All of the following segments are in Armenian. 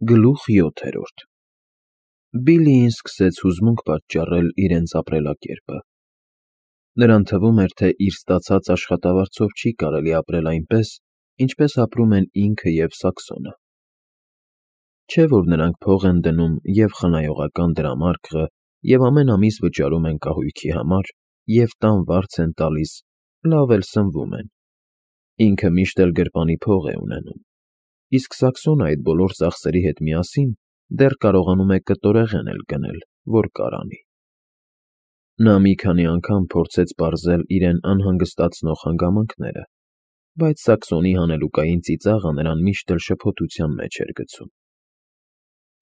Գլուխ 7 Բիլլիին սկսեց հուզմունք պատճառել իրենց ապրելակերպը։ Նրան թվում էր, թե իր ստացած աշխատավարձով չի կարելի ապրել այնպես, ինչպես ապրում են ինքը և Սաքսոնը։ Չէ՞ որ նրանք փող են դնում և խնայողական դրամարկղը, և ամեն ամիս վճարում են կահույքի համար, և տան վարձ են տալիս, լավ էլ սնվում են։ Ինքը միշտ էլ գրպանի փող է ունենում, իսկ Սաքսոնը այդ բոլոր ծախսերի հետ միասին դեռ կարողանում է կտորեղեն էլ գնել, որ կարանի։ Նա մի քանի անգամ փորձեց պարզել իրեն անհանգստացնող հանգամանքները, բայց Սաքսոնի հանելուկային ծիծաղը նրան միշտ էլ շփոթության մեջ էր գցում։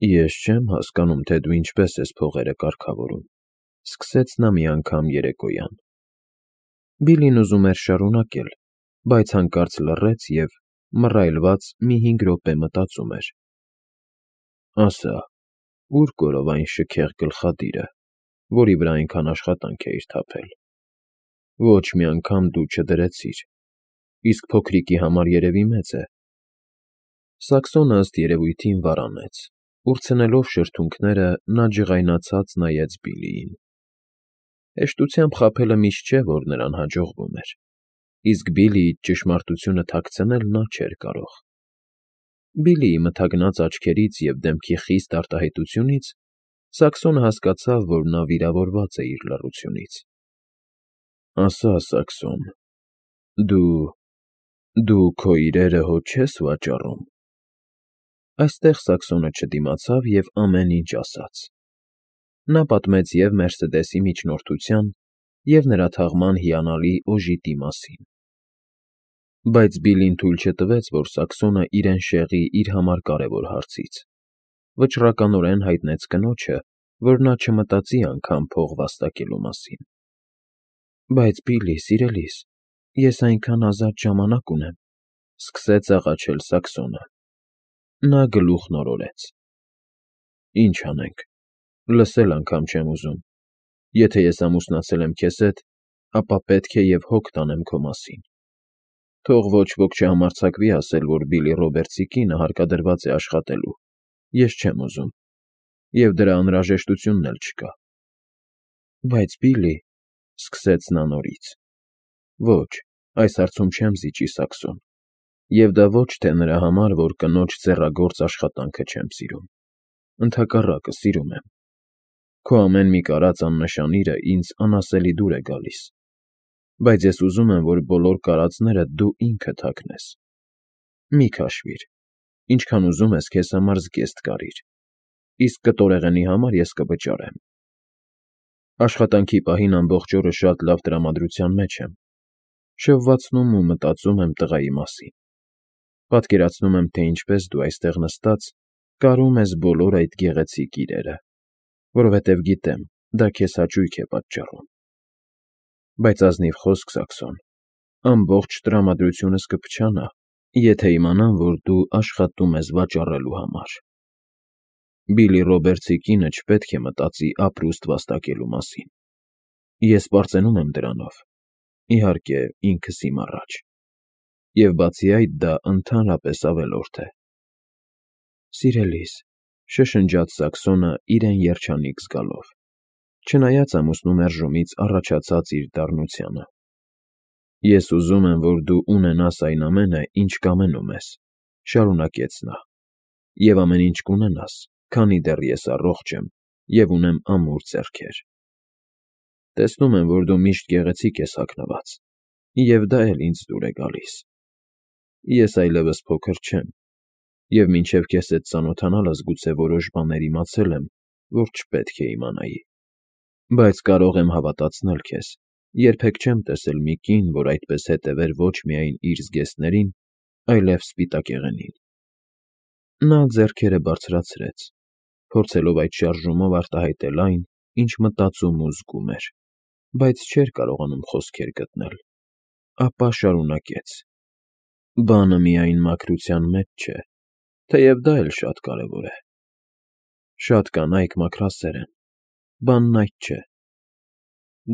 «Ես չեմ հասկանում, թե դու ինչպես ես փողերը կարգավորում», ֊ սկսեց նա մի անգամ երեկոյան։ Բիլլին ուզում էր շարունակել, բայց հանկարծ լռեց և, մռայլված, մի 5 րոպե մտածում էր։ «Ասա, ո՞ւր կորավ այն շքեղ գլխադիրը, որի վրա այնքան աշխատանք էիր թափել։ Ոչ մի անգամ դու չդրեցիր, իսկ փոքրիկի համար երևի մեծ է»։ Սաքսոնը ըստ երևույթին վարանեց։ Ուրցնելով շրթունքները, նա ջղայնացած նայեց Բիլլիին։ Հեշտությամբ խաբելը միշտ չէ, որ նրան հաջողվում էր, իսկ Բիլլիից ճշմարտությունը թաքցնել նա չէր կարող։ Բիլլիի մթագնած աչքերից և դեմքի խիստ արտահայտությունից Սաքսոնը հասկացավ, որ նա վիրավորված է իր լռությունից։ «Ասա, Սաքսոն, դու քո իրերը հո չես վաճառում»։ Այստեղ Սաքսոնը չդիմացավ և ամեն ինչ ասաց։ Նա պատմեց և Մերսեդեսի միջնորդության, և նրա թաղման հիանալի օժիտի մասին։ Բայց Բիլլին թույլ չտվեց, որ Սաքսոնը իրեն շեղի իր համար կարևոր հարցից։ Վճռականորեն հայտնեց կնոջը, որ նա չմտածի անգամ փող վաստակելու մասին։ «Բայց Բիլլի, սիրելիս, ես այնքան ազատ ժամանակ ունեմ», ֊ սկսեց աղաչել Սաքսոնը։ Նա գլուխն օրորեց։ «Ինչ անենք, լսել անգամ չեմ ուզում։ Եթե ես ամուսնացել եմ քեզ հետ, ապա պետք է և հոգ տանեմ քո մասին։ Թող ոչ ոք չհամարձակվի ասել, որ Բիլլի Ռոբերտսի կինը հարկադրված է աշխատելու, ես չեմ ուզում, և դրա անհրաժեշտությունն էլ չկա»։ «Բայց Բիլլի», ֊ սկսեց նա նորից։ «Ոչ, այս հարցում չեմ զիջի, Սաքսոն, և դա ոչ թե նրա համար, որ կնոջ ձեռագործ աշխատանքը չեմ սիրում։ Ընդհակառակը, սիրում եմ։ Քո ամեն մի կարած աննշանիրը ինձ անասելի դուր է գալիս։ Բայց ես ուզում եմ, որ բոլոր կարածները դու ինքդ հագնես։ Մի քաշվիր, ինչքան ուզում ես քեզ համար զգեստ կարիր, իսկ կտորեղենի համար ես կվճարեմ։ Աշխատանքի պահին ամբողջ օրը շատ լավ տրամադրության մեջ եմ, շվվացնում ու մտածում եմ տղայի մասին։ Պատկերացնում եմ, թե ինչպես դու այստեղ նստած կարում ես բոլոր այդ գեղեցիկ իրերը, որովհետև գիտեմ, դա քեզ հաճույք է պատճառում։ Բայց ազնիվ խոսք, Սաքսոն, ամբողջ տրամադրությունս կփչանա, եթե իմանամ, որ դու աշխատում ես վաճառելու համար։ Բիլլի Ռոբերտսի կինը չպետք է մտածի ապրուստ վաստակելու մասին։ Ես պարծենում եմ դրանով, իհարկե, ինքս իմ առաջ։ Եվ բացի այդ, դա ընդհանրապես ավելորդ է»։ «Սիրելիս», ֊ շշնջաց Սաքսոնը իրեն երջանիկ զգալով, չնայած ամուսնու մերժումից առաջացած իր դառնությանը։ «Ես ուզում եմ, որ դու ունենաս այն ամենը, ինչ կամենում ես», ֊ շարունակեց նա, «և ամեն ինչ կունենաս, քանի դեռ ես առողջ եմ և ունեմ ամուր ձեռքեր։ Տեսնում եմ, որ դու միշտ գեղեցիկ ես հագնված, և դա էլ ինձ դուր է գալիս։ Ես այլևս փոքր չեմ, և մինչև քեզ հետ ծանոթանալս գուցե որոշ բաներ իմացել եմ, որ չպետք է իմանայի։ Բայց կարող եմ հավատացնել քեզ, երբեք չեմ տեսել մի կին, որ այդպես հետևեր ոչ միայն իր զգեստներին, այլև սպիտակեղենին»։ Նա ձեռքերը բարձրացրեց, փորձելով այդ շարժումով արտահայտել այն, ինչ մտածում ու զգում էր, բայց չէր կարողանում խոսքեր գտնել։ Ապա շարունակեց. «Բանը միայն մաքրության մեջ չէ, թեև դա էլ շատ կարևոր է։ Շատ կանայք մաքրասեր են, բանն այդ չէ։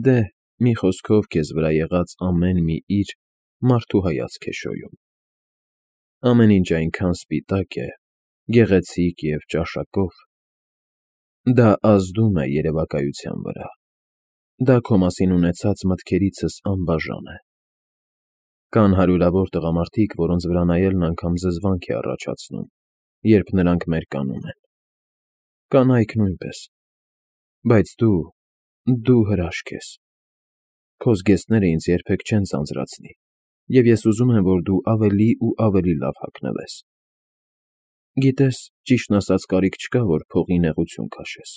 Դե, մի խոսքով, քեզ վրա եղած ամեն մի իր մարդու հայացք է շոյում։ Ամեն ինչ այնքան սպիտակ է, գեղեցիկ և ճաշակով։ Դա ազդում է երևակայության վրա։ Դա քո մասին ունեցած մտքերիցս անբաժան է։ Կան հարյուրավոր տղամարդիկ, որոնց վրա նայելն անգամ զզվանք է առաջացնում, երբ նրանք մերկանում են։ Կանայք նույնպես։ Բայց դու հրաշք ես։ Քո զգեստները ինձ երբեք չեն ձանձրացնի, և ես ուզում եմ, որ դու ավելի ու ավելի լավ հագնվես։ Գիտես, ճիշտն ասած, կարիք չկա, որ փողի նեղություն քաշես։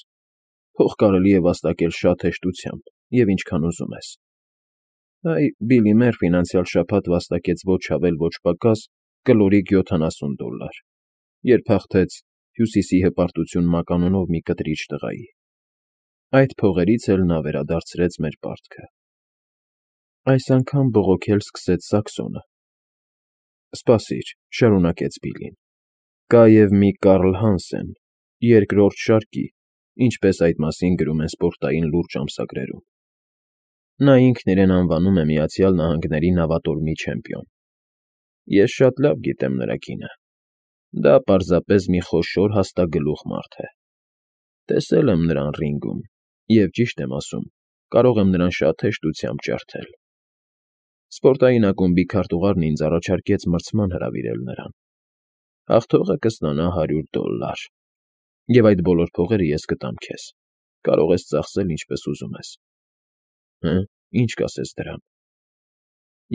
Փող կարելի է վաստակել շատ հեշտությամբ և ինչքան ուզում ես։ Այ Բիլլի Մերֆին անցյալ շաբաթ վաստակեց ոչ ավել ոչ պակաս կլորիկ $70, երբ հաղթեց Հյուսիսի հպարտություն մականունով մի կտրիչ տղայի։ Այդ փողերից էլ նա վերադարձրեց մեր պարտքը։ Այս անգամ բողոքել սկսեց Սաքսոնը։ Սպասիր, շարունակեց Բիլլին։ Կա և մի Կարլ Հանսեն, երկրորդ շարքի, ինչպես այդ մասին գրում են սպորտային լուրջ ամսագրերում։ Նա ինքն իրեն անվանում է Միացյալ Նահանգների նավատորմի չեմպիոն։ Ես շատ լավ գիտեմ նրա կինը։ Դա պարզապես մի խոշոր հաստագլուխ մարդ է։ Տեսել եմ նրան ռինգում, և ճիշտ եմ ասում, կարող եմ նրան շատ հեշտությամբ ջարդել։ Սպորտային ակումբի քարտուղարն ինձ առաջարկեց մրցման հրավիրել նրան։ Հաղթողը կստանա $100, և այդ բոլոր փողերը ես կտամ քեզ։ Կարող ես ծախսել ինչպես ուզում ես։ Հը՞, ինչ կասես դրան։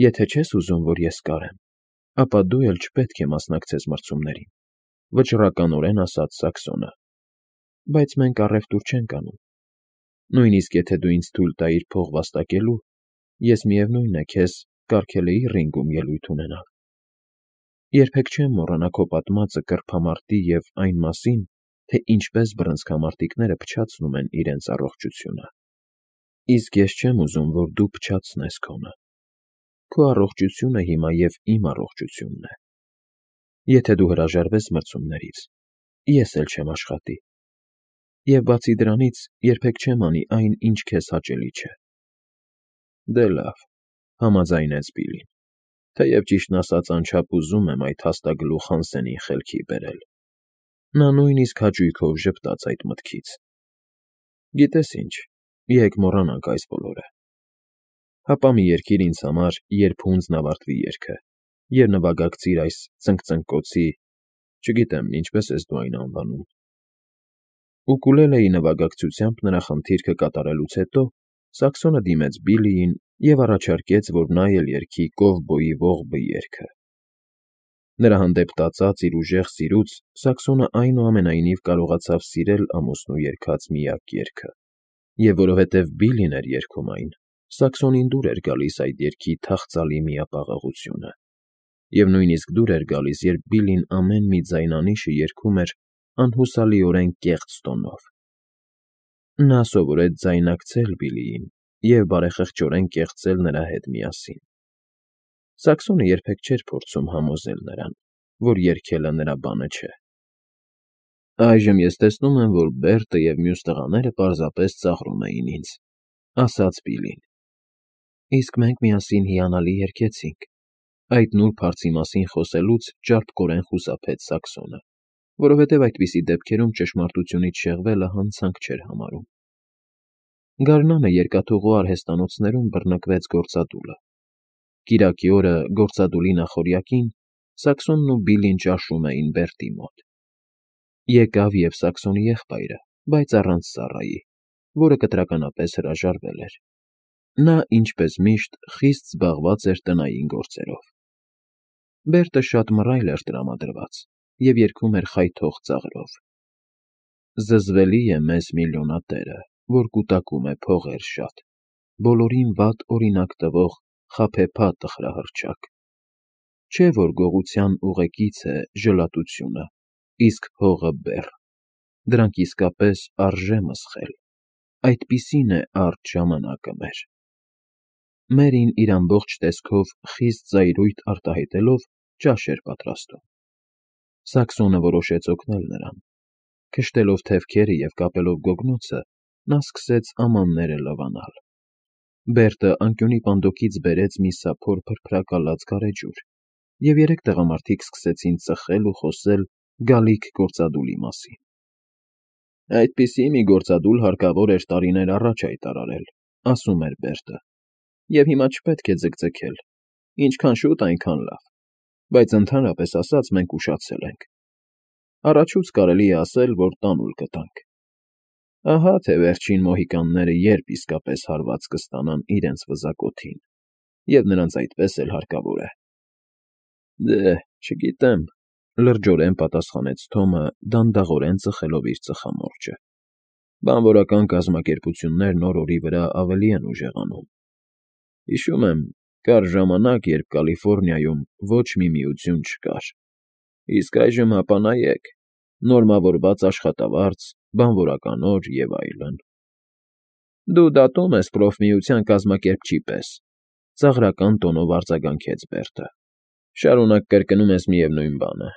Եթե չես ուզում, որ ես կարեմ, ապա դու էլ չպետք է մասնակցես մրցումներին, վճռականորեն ասաց Սաքսոնը։ Բայց մենք առևտուր չենք անում։ Նույնիսկ եթե դու ինձ թույլ տայիր փող վաստակելու, ես միևնույն է քեզ կարգել էի ռինգում ելույթ ունենալ։ Երբեք չեմ մոռանա քո պատմածը կռփամարտի և այն մասին, թե ինչպես բռնցքամարտիկները փչացնում են իրենց առողջությունը։ Իսկ ես չեմ ուզում, որ դու փչացնես քոնը։ Քո առողջությունը հիմա և իմ առողջությունն է։ Եթե դու հրաժարվես մրցումներից, ես էլ չեմ աշխատի։ Եվ բացի դրանից, երբեք չեմ անի այն, ինչ քեզ հաճելի չէ։ Դե լավ, համաձայնեց Բիլլին, թեև ճիշտն ասած անչափ ուզում եմ այդ հաստագլուխ Հանսենին խելքի բերել։ Նա նույնիսկ հաճույքով ժպտաց այդ մտքից։ Գիտես ինչ, եկ մոռանանք այս բոլորը։ Հապա մի երգիր ինձ համար, երբ հունձն ավարտվի երգը, և նվագակցիր այս ծնկծնկոցի, չգիտեմ, ինչպես ես դու այն անվանում։ Ուկուլելեի նվագակցությամբ նրա խնդիրքը կատարելուց հետո Սաքսոնը դիմեց Բիլլիին և առաջարկեց, որ նա էլ երգի Կովբոյի ողբը երգը։ Նրա հանդեպ տածած իր ուժեղ սիրուց Սաքսոնը այնուամենայնիվ կարողացավ սիրել ամուսնու երգած միակ երգը, և որովհետև Բիլլին էր երգում այն, Սաքսոնին դուր էր գալիս այդ երգի թախծալի միապաղաղությունը, և նույնիսկ դուր էր գալիս, երբ Բիլլին ամեն մի ձայնանիշը երգում էր անհուսալիորեն կեղծ տոնով։ Նա սովորեց ձայնակցել Բիլլիին և բարեխղճորեն կեղծել նրա հետ միասին։ Սաքսոնը երբեք չէր փորձում համոզել նրան, որ երգելը նրա բանը չէ։ Այժմ ես տեսնում եմ, որ Բերտը և մյուս տղաները պարզապես ծաղրում էին ինձ, ասաց Բիլլին։ Իսկ մենք միասին հիանալի երգեցինք։ Այդ նուրբ հարցի մասին խոսելուց ճարպկորեն խուսափեց Սաքսոնը, որովհետև այդպիսի դեպքերում ճշմարտությունից շեղվելը հանցանք չէր համարում։ Գարնանը երկաթուղու արհեստանոցներում բռնկվեց գործադուլը։ Կիրակի օրը գործադուլի նախօրյակին Սաքսոնն ու Բիլլին ճաշում էին Բերտի մոտ։ Եկավ և Սաքսոնի եղբայրը, բայց առանց ծառայի, որը կտրականապես հրաժարվել էր։ Նա, ինչպես միշտ, խիստ զբաղված էր տնային գործերով։ Բերտը շատ մռայլ էր տրամադրված և երգում էր խայթող ծաղրով. Զզվելի է մեզ միլիոնատերը, որ կուտակում է փողեր շատ, բոլորին վատ օրինակ տվող խաբեբա տխրահռչակ։ Չէ՞ որ գողության ուղեկից է ժլատությունը, իսկ փողը բեռ, դրանք իսկապես արժե մսխել, այդպիսին է արջ ժամանակը մեր։ Մերին իր ամբողջ տեսքով խիստ զայրույթ արտահայտելով ճաշ էր պատրաստում։ Սաքսոնը որոշեց օգնել նրան։ Քշտելով թևքերը և կապելով գոգնոցը, նա սկսեց ամանները լվանալ։ Բերտը անկյունի պանդոկից բերեց մի սափոր փրփրակալած գարեջուր, և երեք տղամարդիկ սկսեցին ծխել ու խոսել գալիք գործադուլի մասին։ Այդպիսի մի գործադուլ հարկավոր էր տարիներ առաջ հայտարարել, ասում էր Բերտը, և հիմա չպետք է ձգձգել, ինչքան շուտ, այնքան լավ, բայց ընդհանրապես ասած մենք ուշացել ենք։ Առաջուց կարելի է ասել, որ տանուլ կտանք։ Ահա թե վերջին մոհիկանները երբ իսկապես հարված կստանան իրենց վզակոթին, և նրանց այդպես էլ հարկավոր է։ Դե, չգիտեմ, լրջորեն պատասխանեց Թոմը, դանդաղորեն ծխելով իր ծխամորճը։ Բանվորական կազմակերպություններն օր֊օրի վրա ավելի են ուժեղանում։ Հիշում եմ, կար ժամանակ, երբ Կալիֆոռնիայում ոչ մի միություն չկար, իսկ այժմ հապա նայեք, նորմավորված աշխատավարձ, բանվորական օր և այլն։ Դու դատում ես պրոֆմիության կազմակերպչի պես, ծաղրական տոնով արձագանքեց Բերտը։ Շարունակ կրկնում ես միևնույն բանը,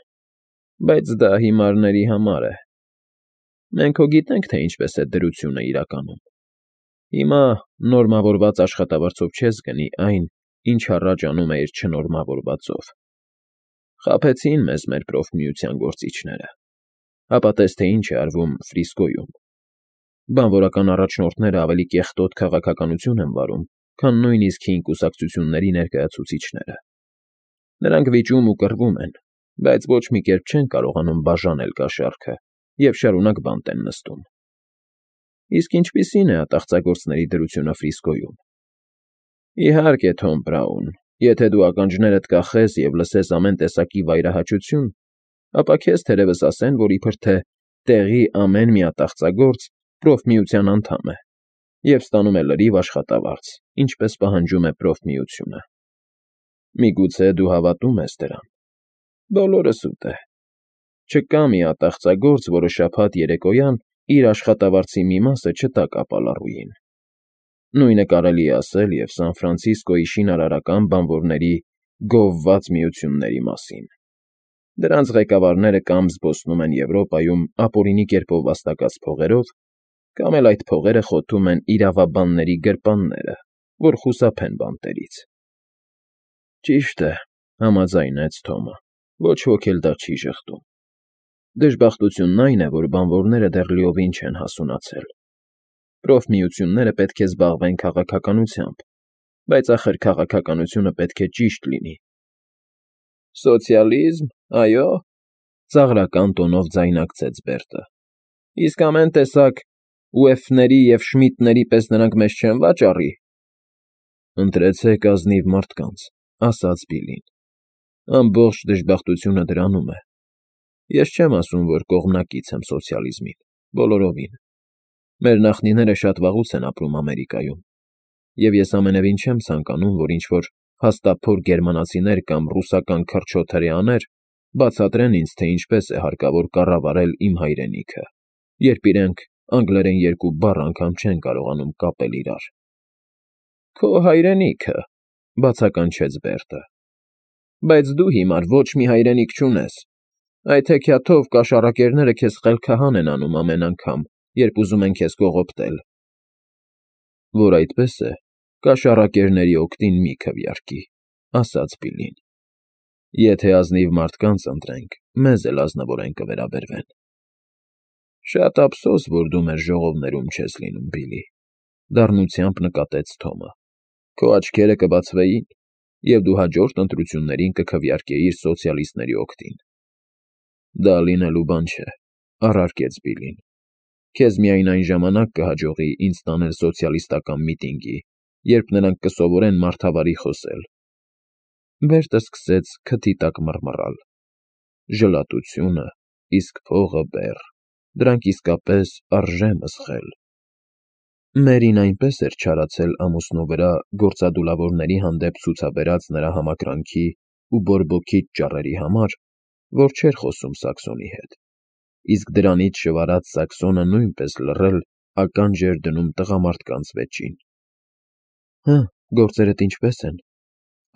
բայց դա հիմարների համար է։ Մենք հո գիտենք, թե ինչպես է դրությունը իրականում։ Հիմա նորմավորված աշխատավարձով չես գնի այն, ինչ առաջ անում էիր չնորմավորվածով։ Խաբեցին մեզ մեր պրոֆմիության գործիչները, հապա տես թե ինչ է արվում Ֆրիսկոյում։ Բանվորական առաջնորդները ավելի կեղտոտ քաղաքականություն են վարում, քան նույնիսկ հին կուսակցությունների ներկայացուցիչները։ Նրանք վիճում ու կռվում են, բայց ոչ մի կերպ չեն կարողանում բաժանել կաշառքը և շարունակ բանտ են նստում։ Իսկ ինչպիսի՞ն է ատաղծագործների դրությունը Ֆրիսկոյում։ Իհարկե, Թոմ Բրաուն, եթե դու ականջներդ կախես և լսես ամեն տեսակի վայրահաճություն, ապա քեզ թերևս ասեն, որ իբր թե տեղի ամեն մի ատաղծագործ պրոֆմիության անդամ է և ստանում է լրիվ աշխատավարձ, ինչպես պահանջում է պրոֆմիությունը։ Միգուցե դու հավատում ես դրան։ Բոլորս ուտե։ Չկա մի ատաղծագործ, որը շաբաթ երեկոյան իր աշխատավարձի մի մասը չտա կապալառուին։ Նույնը կարելի է ասել և Սան Ֆրանցիսկոյի շինարարական բանվորների գովված միությունների մասին։ Դրանց ղեկավարները կամ զբոսնում են Եվրոպայում ապօրինի կերպով վաստակած փողերով, կամ էլ այդ փողերը խոթում են իրավաբանների գրպանները, որ խուսափեն բանտերից։ Ճիշտ է, համաձայնեց Թոմը, ոչ ոք էլ դա չի ժխտում։ Դժբախտությունն այն է, որ բանվորները դեռ լիովին չեն հասունացել։ Պրոֆմիությունները պետք է զբաղվեն քաղաքականությամբ, բայց ախր քաղաքականությունը պետք է ճիշտ լինի։ Սոցիալիզմ, այո, ծաղրական տոնով ձայնարկեց Բերտը։ Իսկ ամեն տեսակ ուեֆների և շմիդների պես նրանք մեզ չեն վաճառի։ Ընտրեցեք ազնիվ մարդկանց, ասաց Բիլին։ Ամբողջ դժբախտությունը դրանում է։ Ես չեմ ասում, որ կողմնակից եմ սոցիալիզմին, բոլորովին։ Մեր նախնիները շատ վաղուց են ապրում Ամերիկայում, և ես ամենևին չեմ ցանկանում, որ ինչ-որ հաստափոր գերմանացիներ կամ ռուսական քրչոտ հրեաներ բացատրեն ինձ, թե ինչպես է հարկավոր կառավարել իմ հայրենիքը, երբ իրենք անգլերեն երկու բառ անգամ չեն կարողանում կապել իրար։ Քո հայրենիքը, բացականչեց Բերտը։ Բայց դու հիմար ոչ մի հայրենիք չունես։ Այդ հեքիաթով կաշառակերները քեզ խելքահան են անում ամեն անգամ, երբ ուզում են քեզ կողոպտել։ Որ այդպես է, կաշառակերների օգտին մի քվեարկի, ասաց Բիլին։ Եթե ազնիվ մարդկանց ընտրենք, մեզ էլ ազնվորեն կվերաբերվեն։ Շատ ափսոս, որ դու մեր ժողովներում չես լինում, Բիլի, դառնությամբ նկատեց Թոմը։ Քո աչքերը կբացվեին, և դու հաջորդ ընտրություններին կքվեարկեիր սոցիալիստների օգտին։ Դա լինելու բան չէ, առարկեց Բիլին։ Քեզ միայն այն ժամանակ կհաջողի ինձ տանել սոցիալիստական միտինգի, երբ նրանք կսովորեն մարդավարի խոսել։ Բերտը սկսեց քթի տակ մռմռալ։ Ժլատությունը, իսկ փողը բեռ, դրանք իսկապես արժե մսխել։ Մերին այնպես էր չարացել ամուսնու վրա գործադուլավորների հանդեպ ցուցաբերած նրա համակրանքի ու բորբոքիչ ճառերի համար, որ չէր խոսում Սաքսոնի հետ, իսկ դրանից շվարած Սաքսոնը նույնպես լռել ականջ էր դնում տղամարդկանց վեճին։ Հը, գործերդ ինչպե՞ս են,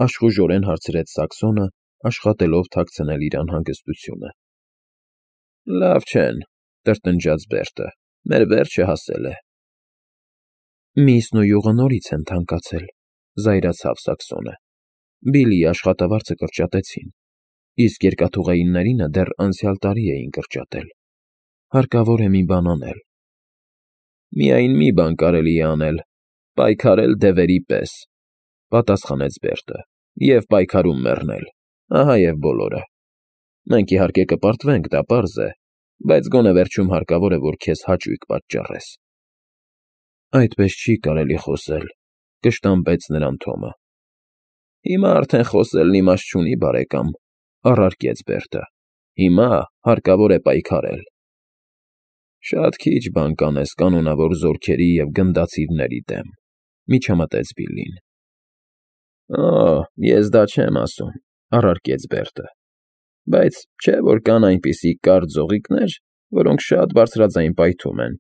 աշխուժորեն հարցրեց Սաքսոնը, աշխատելով թաքցնել իր անհանգստությունը։ Լավ չեն, տրտնջաց Բերտը, մեր վերջը հասել է։ Միսն ու յուղը նորից են թանկացել, զայրացավ Սաքսոնը։ Բիլիի աշխատավարձը կրճատեցին։ իսկ երկաթուղայիններինը դեռ անցյալ տարի էին կրճատել։ Հարկավոր է մի բան անել։ Միայն մի բան կարելի է անել՝ պայքարել դևերի պես, պատասխանեց Բերտը, և պայքարում մեռնել, ահա և բոլորը։ Մենք իհարկե կպարտվենք, դա պարզ է, բայց գոնե վերջում հարկավոր է, որ քեզ հաճույք պատճառես։ Այդպես չի կարելի խոսել, կշտամբեց նրան Թոմը։ Հիմա արդեն խոսելն իմաստ չունի, բարեկամ, առարկեց Բերտը։ Հիմա հարկավոր է պայքարել։ Շատ քիչ բան կանես կանոնավոր զորքերի և գնդացիրների դեմ, միջամտեց Բիլլին։ Օ, ես դա չեմ ասում, առարկեց Բերտը, բայց չէ՞ որ կան այնպիսի կարճ ձողիկներ, որոնք շատ բարձրաձայն պայթում են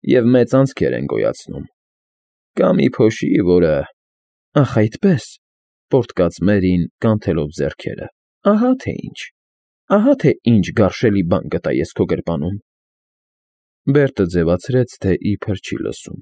և մեծ անցքեր են գոյացնում։ Կա մի փոշի, որը… Ախ, այդպե՜ս, պոռթկաց Մերրին, կանթելով ձեռքերը, ահա թե ինչ գարշելի բան գտա ես քո գրպանում։ Բերտը ձևացրեց, թե իբր չի լսում։